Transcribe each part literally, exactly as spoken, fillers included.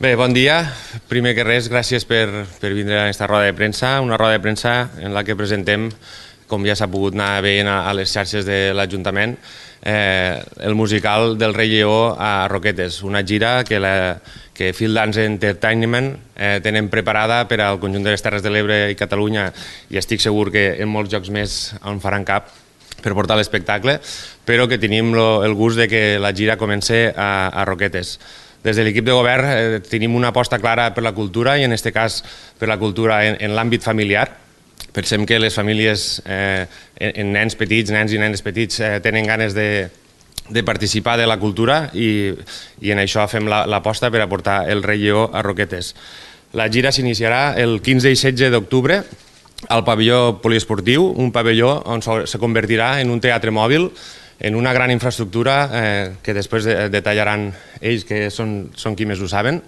Bé, bon dia. Primer que res, gràcies per, per vindre a aquesta roda de premsa, una roda de premsa en la que presentem, com ja s'ha pogut anar veient a les xarxes de l'Ajuntament, eh, el musical del Rei Lleó a Roquetes, una gira que, la, que Field Dance Entertainment eh, tenen preparada per al conjunt de les Terres de l'Ebre i Catalunya, i estic segur que en molts llocs més on faran cap per portar l'espectacle, però que tenim lo, el gust de que la gira comenci a, a Roquetes. Des de l'equip de govern eh, tenim una aposta clara per la cultura i en aquest cas per la cultura en, en l'àmbit familiar. Pensem que les famílies, eh, en nens petits, nens i nenes petits, eh, tenen ganes de, de participar de la cultura i, i en això fem l'aposta per a portar el Rei Lleó a Roquetes. La gira s'iniciarà el quinze i setze d'octubre al pavelló poliesportiu, un pavelló on se convertirà en un teatre mòbil, en una gran infraestructura eh, que després de, detallaran ells, que són, són qui més ho saben.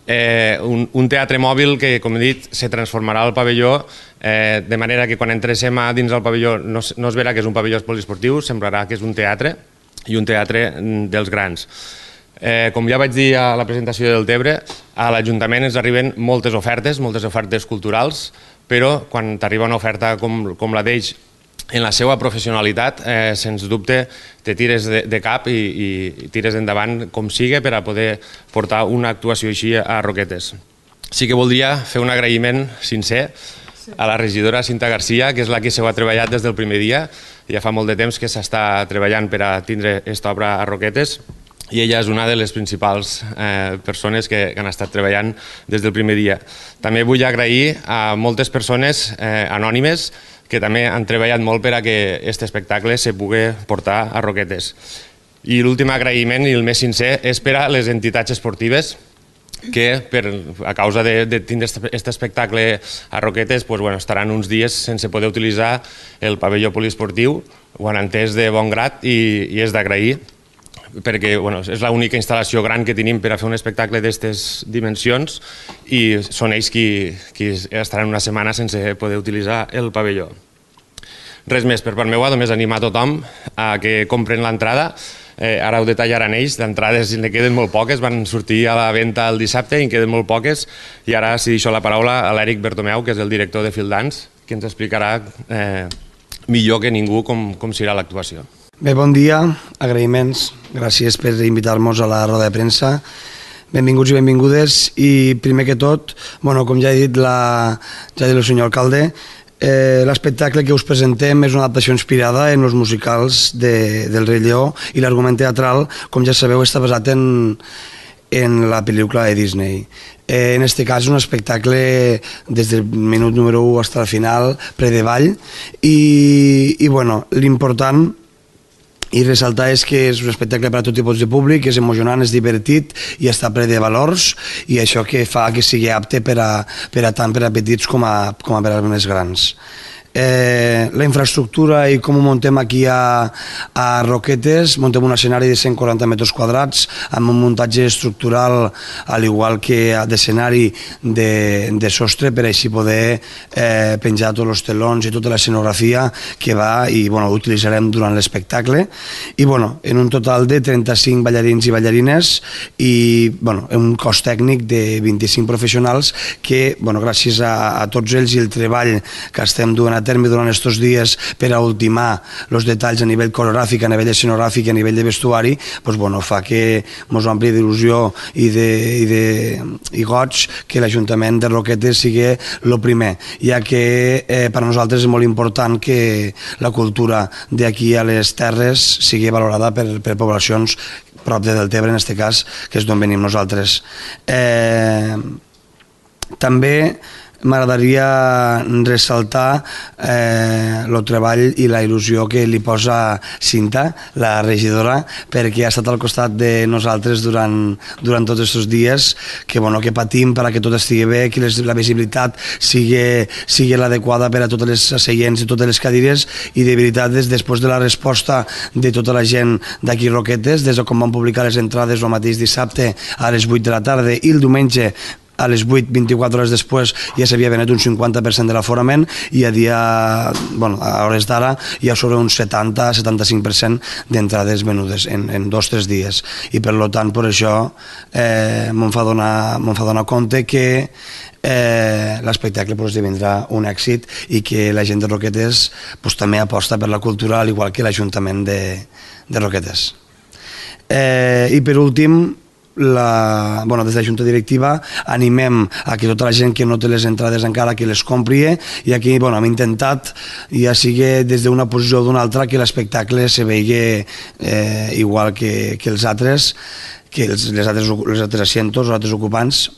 Eh, un, un teatre mòbil que, com he dit, se transformarà al pavelló, eh, de manera que quan entréssim a dins del pavelló no, no es verà que és un pavelló poliesportiu, semblarà que és un teatre, i un teatre dels grans. Eh, com ja vaig dir a la presentació del Tebre, a l'Ajuntament ens arriben moltes ofertes, moltes ofertes culturals, però quan t'arriba una oferta com, com la d'ells, en la seva professionalitat, eh, sens dubte, te tires de, de cap i, i tires endavant com sigui per a poder portar una actuació així a Roquetes. Sí que voldria fer un agraïment sincer a la regidora Cinta Garcia, que és la que s'ho ha treballat des del primer dia. Ja fa molt de temps que s'està treballant per a tindre aquesta obra a Roquetes i ella és una de les principals eh, persones que, que han estat treballant des del primer dia. També vull agrair a moltes persones eh, anònimes que també han treballat molt per a que aquest espectacle se pugui portar a Roquetes. I l'últim agraïment, i el més sincer, és per a les entitats esportives que, per, a causa de, de tindre aquest espectacle a Roquetes, pues, bueno, estaran uns dies sense poder utilitzar el pavelló poliesportiu. Ho han entès de bon grat i, i és d'agrair, perquè bueno, és l'única instal·lació gran que tenim per a fer un espectacle d'aquestes dimensions i són ells qui, qui estaran una setmana sense poder utilitzar el pavelló. Res més per part meva, només animar a tothom a que compren l'entrada. Eh, ara ho detallaran ells, d'entrades ne queden molt poques, van sortir a la venda el dissabte i en queden molt poques, i ara si deixo la paraula a l'Eric Bertomeu, que és el director de Field Dance, que ens explicarà eh, millor que ningú com, com serà l'actuació. Bé, bon dia, agraïments, gràcies per invitar-nos a la roda de premsa, benvinguts i benvingudes, i primer que tot, bueno, com ja ha dit, la, ja ha dit el senyor alcalde, eh, l'espectacle que us presentem és una adaptació inspirada en els musicals de, del Rei Lleó, i l'argument teatral, com ja sabeu, està basat en, en la pel·lícula de Disney. Eh, en aquest cas un espectacle des del minut número u fins al final, pre de ball, i, i bueno, l'important i ressaltar és que és un espectacle per a tot tipus de públic, és emocionant, és divertit i està ple de valors, i això que fa que sigui apte per a, per a tant per a petits com a, com a per a més grans. Eh, la infraestructura i com ho muntem aquí a, a Roquetes, muntem un escenari de cent quaranta metres quadrats amb un muntatge estructural al igual que d'escenari de, de sostre per així poder eh, penjar tots els telons i tota l'escenografia que va i bueno, utilitzarem durant l'espectacle, i bueno, en un total de trenta-cinc ballarins i ballarines i bueno, un cos tècnic de vint-i-cinc professionals que bueno, gràcies a, a tots ells i el treball que estem duent a terme durant aquests dies per a ultimar els detalls a nivell coreogràfic, a nivell escenogràfic i a nivell de vestuari, doncs, bueno, fa que ens ompli d'il·lusió i de, i de i goig que l'Ajuntament de Roquetes sigui el primer, ja que eh, per a nosaltres és molt important que la cultura d'aquí a les terres sigui valorada per, per poblacions prop de Deltebre, en aquest cas, que és d'on venim nosaltres. Eh, també m'agradaria ressaltar eh, el treball i la il·lusió que li posa Cinta, la regidora, perquè ha estat al costat de nosaltres durant, durant tots aquests dies, que, bueno, que patim perquè tot estigui bé, que les, la visibilitat sigui, sigui l'adequada per a totes les seients i totes les cadires, i de veritat, des, després de la resposta de tota la gent d'aquí Roquetes, des de quan van publicar les entrades el mateix dissabte a les vuit de la tarda i el diumenge a les vuit, vint-i-quatre hores després, ja s'havia venut un cinquanta per cent de l'aforament i a dia, bueno, a hores d'ara hi ha sobre un setanta a setanta-cinc per cent d'entrades venudes en, en dos o tres dies. I per tant, per això eh, me'n fa donar, me'n fa donar compte que eh, l'espectacle pues, esdevindrà un èxit i que la gent de Roquetes pues, també aposta per la cultura, al igual que l'Ajuntament de, de Roquetes. Eh, I per últim, La, bueno, des de la Junta Directiva animem a que tota la gent que no té les entrades encara que les compri, i aquí bueno, hem intentat, ja sigui des d'una posició o d'una altra, que l'espectacle se vegi eh, igual que, que els altres, que els, les altres, les altres asientos, els altres ocupants,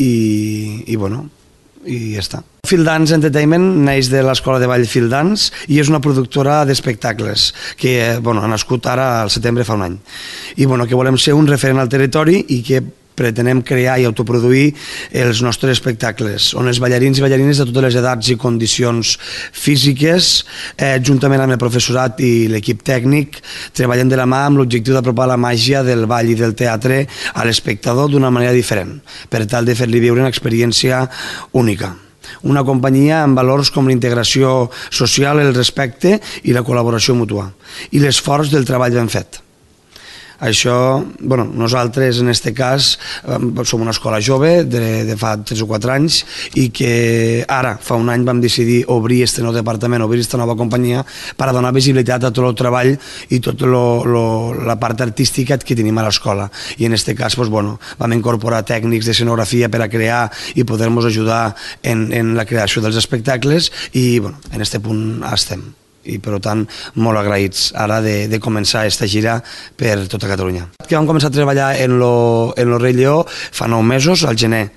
i, i bueno, i ja està. Field Dance Entertainment neix de l'Escola de Ball Field Dance i és una productora d'espectacles que bueno, ha nascut ara al setembre fa un any. I bueno, que volem ser un referent al territori i que pretenem crear i autoproduir els nostres espectacles, on els ballarins i ballarines de totes les edats i condicions físiques, eh, juntament amb el professorat i l'equip tècnic, treballen de la mà amb l'objectiu d'apropar la màgia del ball i del teatre a l'espectador d'una manera diferent, per tal de fer-li viure una experiència única. Una companyia amb valors com la integració social, el respecte i la col·laboració mútua, i l'esforç del treball ben fet. Això, bueno, nosaltres en aquest cas som una escola jove de, de fa tres o quatre anys i que ara, fa un any, vam decidir obrir aquest nou departament, obrir aquesta nova companyia per a donar visibilitat a tot el treball i tota la part artística que tenim a l'escola. I en aquest cas doncs, bueno, vam incorporar tècnics d'escenografia per a crear i poder-nos ajudar en, en la creació dels espectacles i bueno, en aquest punt estem. I per tant molt agraïts ara de, de començar aquesta gira per tota Catalunya. Que vam començar a treballar en lo, en lo Rei Lleó fa nou mesos, al gener.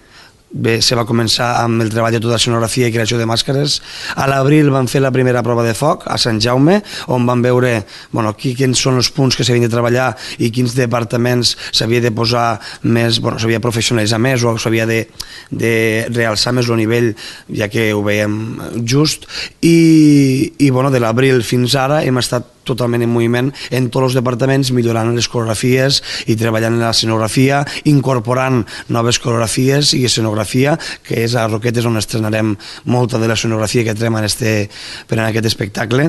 Bé, se va començar amb el treball de tota l'escenografia i creació de màscares. A l'abril vam fer la primera prova de foc a Sant Jaume, on vam veure bueno, qui, quins són els punts que s'havien de treballar i quins departaments s'havia de posar més, bueno, s'havia de professionalitzar més o s'havia de, de realçar més el nivell, ja que ho veiem just. I, i bueno, de l'abril fins ara hem estat totalment en moviment en tots els departaments, millorant les coreografies i treballant en l'escenografia, incorporant noves coreografies i escenografia, que és a Roquetes on estrenarem molta de l'escenografia que trem en este, per en aquest espectacle.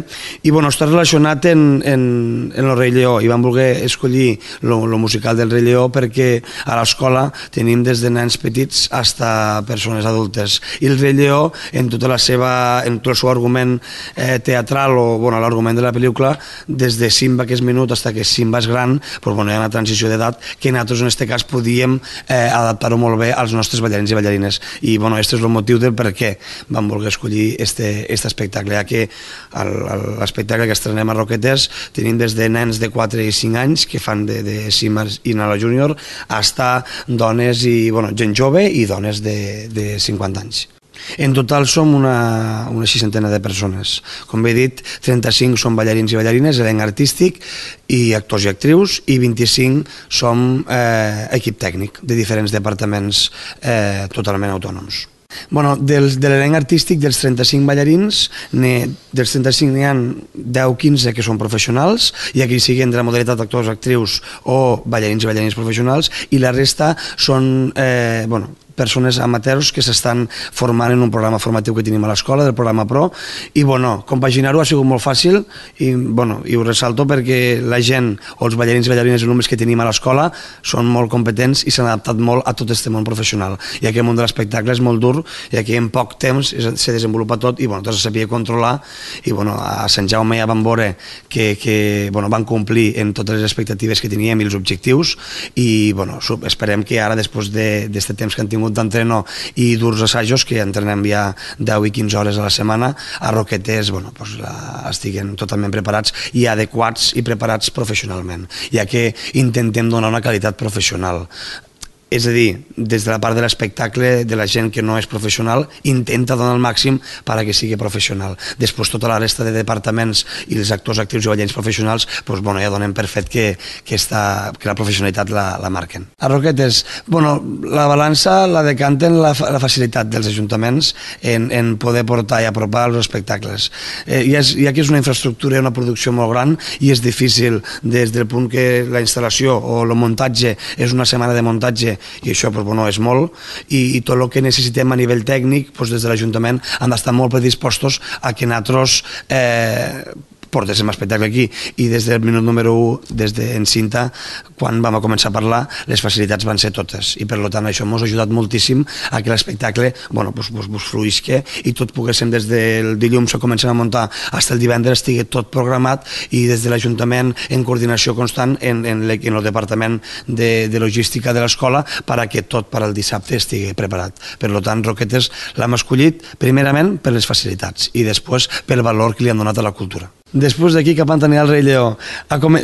I bueno, està relacionat en, en, en el Rei Lleó, i vam voler escollir el musical del Rei Lleó perquè a l'escola tenim des de nens petits fins a persones adultes. I el Rei Lleó, en tota la seva, en tot el seu argument eh, teatral o bueno, l'argument de la pel·lícula, des de Simba, que és menut, fins que Simba és gran, però bueno, hi ha una transició d'edat que nosaltres en aquest cas podíem eh, adaptar-ho molt bé als nostres ballarins i ballarines. I bueno, aquest és el motiu del per què vam voler escollir este, este espectacle, ja que l'espectacle que estrenem a Roquetes tenim des de nens de quatre i cinc anys que fan de, de Simba i Nala Júnior fins dones i bueno, gent jove i dones de, de cinquanta anys. En total som una, una seixantena de persones. Com bé he dit, trenta-cinc són ballarins i ballarines, elenc artístic i actors i actrius, i vint-i-cinc som eh, equip tècnic de diferents departaments eh, totalment autònoms. Bueno, dels, de l'elenc artístic, dels trenta-cinc ballarins, dels trenta-cinc n'hi ha deu o quinze que són professionals, i aquí sigui entre la modalitat actors, actrius o ballarins i ballarines professionals, i la resta són eh, bueno, persones amateurs que s'estan formant en un programa formatiu que tenim a l'escola, del programa Pro, i bueno, compaginar-ho ha sigut molt fàcil, i, bueno, i ho ressalto perquè la gent, o els ballarins i ballarines i alumnes que tenim a l'escola són molt competents i s'han adaptat molt a tot aquest món professional, i aquest món de l'espectacle és molt dur, i aquí en poc temps se desenvolupa tot, i bueno, tot se sabia controlar, i bueno, a Sant Jaume ja van veure que, que bueno, van complir en totes les expectatives que teníem i els objectius, i bueno, esperem que ara, després d'aquest temps que han tingut d'entreno i durs assajos, que entrenem ja deu i quinze hores a la setmana, a Roquetes bueno, pues la, estiguen totalment preparats i adequats i preparats professionalment, ja que intentem donar una qualitat professional. És a dir, des de la part de l'espectacle, de la gent que no és professional, intenta donar el màxim perquè sigui professional. Després, tota la resta de departaments i els actors, actius i ballarins professionals doncs, bueno, ja donen per fet que, que, està, que la professionalitat la, la marquen. A Roquetes, bueno, la balança la decanten la, la facilitat dels ajuntaments en, en poder portar i apropar els espectacles. Eh, ja, és, ja que és una infraestructura i una producció molt gran i és difícil des del punt que la instal·lació o el muntatge és una setmana de muntatge teatre, i això doncs, bueno, és molt, i, i tot el que necessitem a nivell tècnic, doncs, des de l'Ajuntament han d'estar molt predispostos a que nosaltres eh, portéssim espectacle aquí, i des del minut número u, des d'en Cinta, quan vam a començar a parlar, les facilitats van ser totes, i per tant això ens ha ajudat moltíssim a que l'espectacle bueno, pues, pues, pues fluïsque, i tot poguéssim des del dilluns que comencem a muntar fins el divendres estigui tot programat, i des de l'Ajuntament en coordinació constant en, en, en el departament de, de logística de l'escola perquè tot per al dissabte estigui preparat. Per tant, Roquetes l'hem escollit primerament per les facilitats i després pel valor que li han donat a la cultura. Després d'aquí cap a Antoni al Rei Lleó,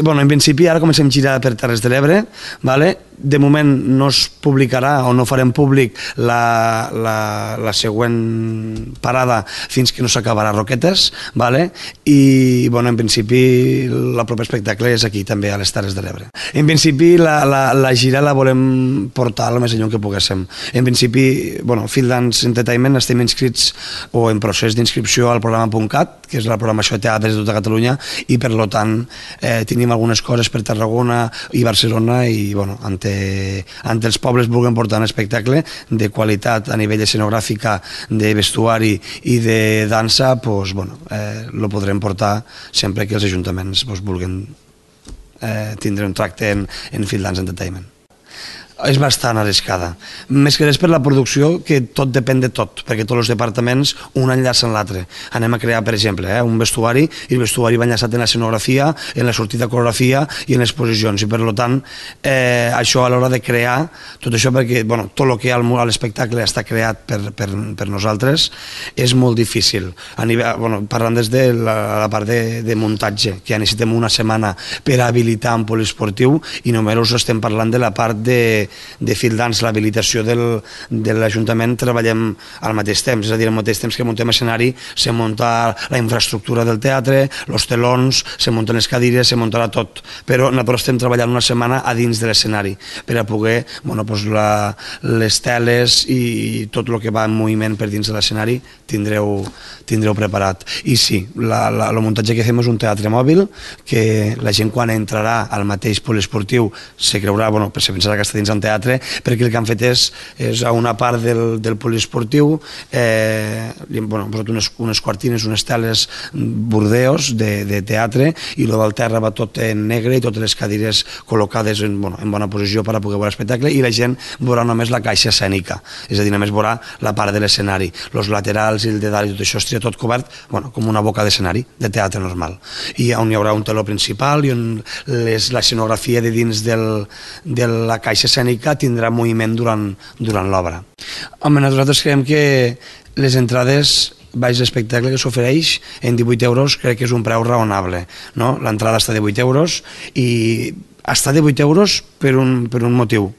bueno, en principi ara comencem a girar per Terres de l'Ebre, vale? De moment no es publicarà o no farem públic la, la, la següent parada fins que no s'acabarà Roquetes, vale? I bueno, en principi el proper espectacle és aquí també a les Terres de l'Ebre. En principi la, la, la gira la volem portar el més enllà que poguéssim. En principi, bueno, Field Dance Entertainment estem inscrits o en procés d'inscripció al programa .cat, que és la programació de teatres de tota Catalunya, i per tant eh, tenim algunes coses per Tarragona i Barcelona, i bueno, ante, ante els pobles vulguem portar un espectacle de qualitat a nivell escenogràfica, de vestuari i de dansa, pues, bueno, eh, lo podrem portar sempre que els ajuntaments pues, vulguin eh, tindre un tracte en, en Field Dance Entertainment. És bastant arriscada, més que res per la producció, que tot depèn de tot, perquè tots els departaments un enllaça en l'altre. Anem a crear, per exemple, eh, un vestuari, i el vestuari va enllaçat en l'escenografia, en la sortida de coreografia i en les posicions, i per tant eh, això a l'hora de crear tot això, perquè bueno, tot el que hi ha a l'espectacle està creat per, per, per nosaltres, és molt difícil. A nivell, bueno, parlant des de la, la part de, de muntatge, que ja necessitem una setmana per habilitar un poliesportiu, i només estem parlant de la part de de Field Dance, l'habilitació de l'Ajuntament, treballem al mateix temps, és a dir, al mateix temps que muntem escenari, se munta la infraestructura del teatre, els telons, se munten les cadires, se muntarà tot, però nosaltres estem treballant una setmana a dins de l'escenari per a poder, bueno, pues la, les teles i tot el que va en moviment per dins de l'escenari tindreu, tindreu preparat. I sí, la, la, el muntatge que fem és un teatre mòbil, que la gent quan entrarà al mateix poliesportiu se creurà, bueno, se pensarà que està dins en teatre, perquè el que han fet és, és a una part del, del poliesportiu eh, li hem bueno, posat unes, unes cortines, unes teles bordeos de, de teatre, i el del terra va tot en negre i totes les cadires col·locades en, bueno, en bona posició per a poder veure l'espectacle, i la gent veurà només la caixa escènica, és a dir, només veurà la part de l'escenari, els laterals i el de dalt i tot això estarà tot cobert bueno, com una boca d'escenari de teatre normal, i on hi haurà un teló principal i on l'escenografia de dins del, de la caixa escènica tindrà moviment durant, durant l'obra. Home, nosaltres creiem que les entrades baix l'espectacle que s'ofereix en divuit euros crec que és un preu raonable, no? L'entrada està de vuit euros, i està de vuit euros per un, per un motiu,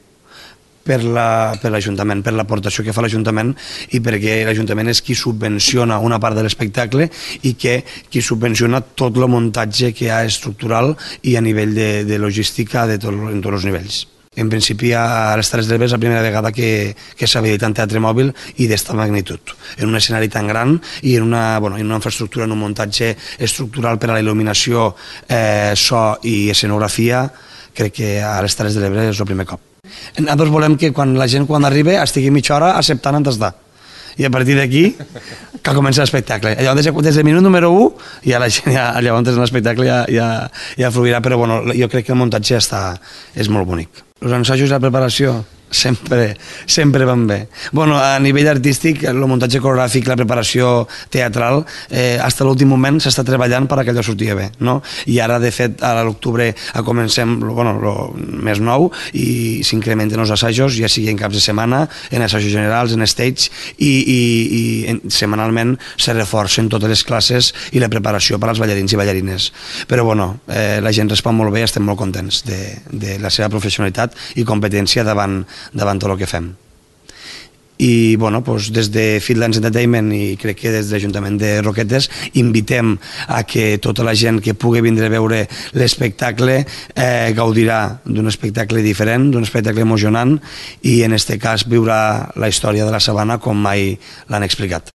per l'Ajuntament, per l'aportació que fa l'Ajuntament, i perquè l'Ajuntament és qui subvenciona una part de l'espectacle i que qui subvenciona tot el muntatge que hi ha estructural i a nivell de, de logística de tot, en tots els nivells. En principi a les Terres de l'Ebre és la primera vegada que, que s'ha habilitat un teatre mòbil i d'esta magnitud, en un escenari tan gran i en una, bueno, en una infraestructura, en un muntatge estructural per a la il·luminació, eh, so i escenografia. Crec que a les Terres de l'Ebre és el primer cop. Nosaltres volem que quan la gent quan arribi estigui mitja hora acceptant on està, i a partir d'aquí que comença l'espectacle. Llavors, des del minut número u ja la gent, ja, llavors l'espectacle ja, ja, ja fluirà, però bueno, jo crec que el muntatge està, és molt bonic. Els ensajos i la preparació sempre, sempre van bé. Bueno, a nivell artístic, el muntatge coreogràfic, la preparació teatral, eh, fins a l'últim moment s'està treballant per que allò sortia bé, no? I ara, de fet, a l'octubre comencem bueno, lo més nou, i s'incrementen els assajos, ja sigui en caps de setmana, en assajos generals, en stage, i, i, i en, setmanalment se reforcen totes les classes i la preparació per als ballarins i ballarines. Però, bueno, eh, la gent respon molt bé i estem molt contents de, de la seva professionalitat i competència davant davant tot el que fem. I bueno, doncs des de Field Dance Entertainment i crec que des de l'Ajuntament de Roquetes invitem a que tota la gent que pugui vindre a veure l'espectacle eh, gaudirà d'un espectacle diferent, d'un espectacle emocionant, i en aquest cas viurà la història de la sabana com mai l'han explicat.